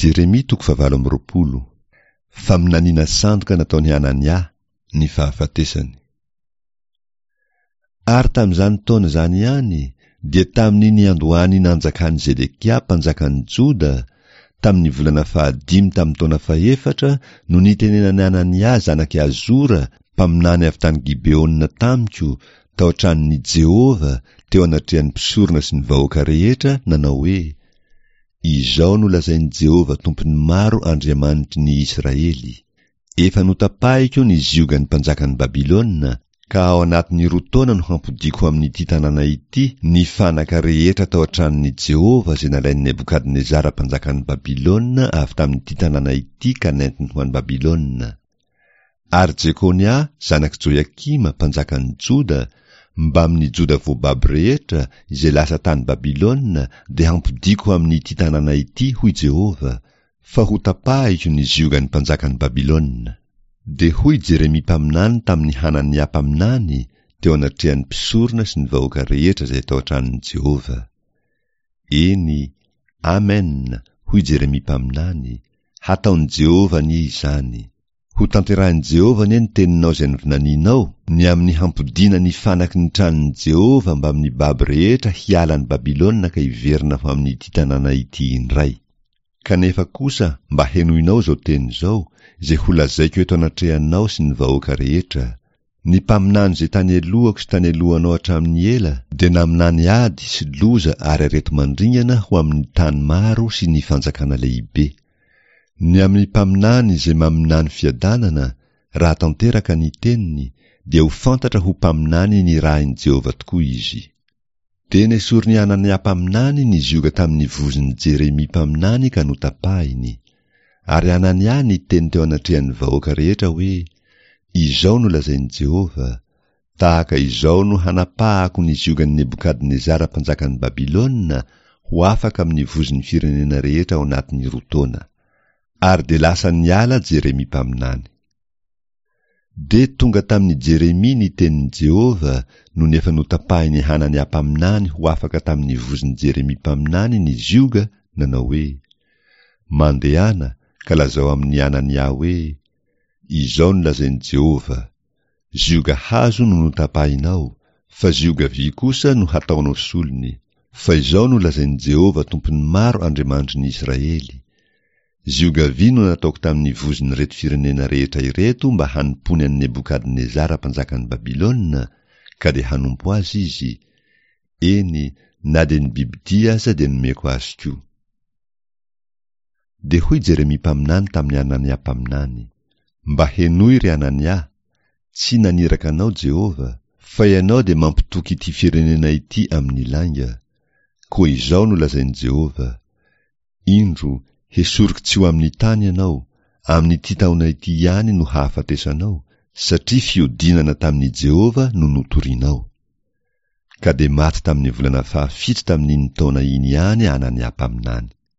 Jeremia toko fahavalo amby 20. Faminaniana sandoka nataon'i Hanania, ny fahafatesany. Ary tamin'izany taona izany ihany, dia tamin'ny niandohan'ny nanjakan'i Zedekia mpanjakan'i Joda, tamin'ny volana fahadimy tamin'ny taona fahefatra no nitenenan'i Hanania zanak'i Azora, mpaminany avy tany Gibeona tamiko, tao an-tranon'i Jehovah, teo anatrehan'ny mpisorona sy ny vahoaka rehetra, nanao hoe, Izao no lazain'i Jehovah Tompon'ny maro Andriamanitry ny Israely, Efa notapahiko ny ziogan'ny mpanjakan'i Babylona, ka ao anatin'ny roa taona no hampodiako ho amin'ity tanàna ity ny fanaka rehetra tao an-tranon'i Jehovah izay nalain'i Nebokadnezara mpanjakan'i Babylona avy tamin'ity tanàna ity ka nentiny ho any Babylona. Ary Jekonia zanak'i Joiakima mpanjakan'i Joda, mbamin'ny Joda voababo rehetra izay lasa tany Babylona dia hampodiako ho amin'ity tanàna ity, hoy Jehovah, fa hotapahiko ny ziogan'ny mpanjakan'i Babylona. Dia hoy Jeremia mpaminany tamin'i Hanania mpaminany teo anatrehan'ny mpisorona sy ny vahoaka rehetra izay tao an-tranon'i Jehovah, Eny, Amen, hoy Jeremia mpaminany, hataon'i Jehovah anie izany! Hotanterahin'i Jehovah anie ny teninao izay novinanianao, ny amin'ny hampodiana ny fanaky ny tranon'i Jehovah mbamin'ny babo rehetra hiala an'i Babylona ka hiverina ho amin'ity tanàna ity indray. Kanefa kosa mba henoinao izao teny izao, izay holazaiko eto anatrehanao sy ny vahoaka rehetra, Ny mpaminany izay tany alohako sy tany alohanao hatramin'ny ela dia naminany ady sy loza ary areti-mandringana ho amin'ny tany maro sy ny fanjakana lehibe. Ny amin'ny mpaminany izay maminany fiadanana, raha tanteraka ny teniny, dia ho fantatra ho mpaminany nirahin'i Jehovah tokoa izy. Dia nesorin'i Hanania mpaminany ny zioga tamin'ny vozon'i Jeremia mpaminany ka notapahiny. Ary Hanania niteny teo anatrehan'ny vahoaka rehetra hoe, Izao no lazain'i Jehovah, Tahaka izao no hanapahako ny ziogan'i Nebokadnezara mpanjakan'i Babylona ho afaka amin'ny vozon'ny firenena rehetra ao anatin'ny roa taona. Ary dia lasa niala Jeremia mpaminany. Dia tonga tamin'i Jeremia ny tenin'i Jehovah nony efa notapahin'i Hanania mpaminany ho afaka tamin'ny vozon'i Jeremia mpaminany ny zioga, nanao hoe, Mandehana ka lazao amin'i Hanania hoe, Izao no lazain'i Jehovah, Zioga hazo no notapahinao, fa zioga vy kosa no hataonao solony. Fa izao no lazain'i Jehovah Tompon'ny maro Andriamanitry ny Israely, Zioga vy no nataoko tamin'ny vozon'ireto firenena rehetra ireto mba hanompoany an'i Nebokadnezara mpanjakan'i Babylona, ka dia hanompo azy izy, eny, na dia ny bibidia aza dia nomeko azy koa. Dia hoy Jeremia mpaminany tamin'i Hanania mpaminany, Mba henoy, ry Hanania, tsy naniraka anao Jehovah, fa ianao dia mampitoky ity firenena ity amin'ny lainga. Koa izao no lazain'i Jehovah, Indro, hesoriko tsy ho amin'ny tany ianao, amin'ity taona ity ihany no hahafatesanao, satria fiodinana tamin'i Jehovah no notorinao. Ka dia maty tamin'ny volana fahafito tamin'iny taona iny ihany Anania mpaminany.